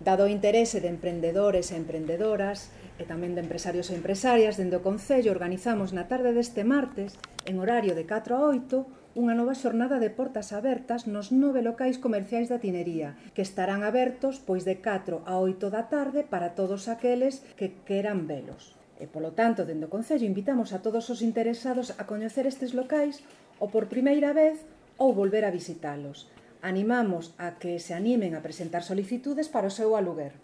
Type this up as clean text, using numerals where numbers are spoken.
Aproveitado o interese de emprendedores e emprendedoras e tamén de empresarios e empresarias, dende o Concello organizamos na tarde deste martes, en horario de 4 a 8, unha nova xornada de portas abertas nos 9 locais comerciais da Tinería, que estarán abertos pois de 4 a 8 da tarde para todos aqueles que queran velos. E, polo tanto, dende o Concello invitamos a todos os interesados a coñecer estes locais ou por primeira vez ou volver a visitalos. Animamos a que se animen a presentar solicitudes para o seu aluguer.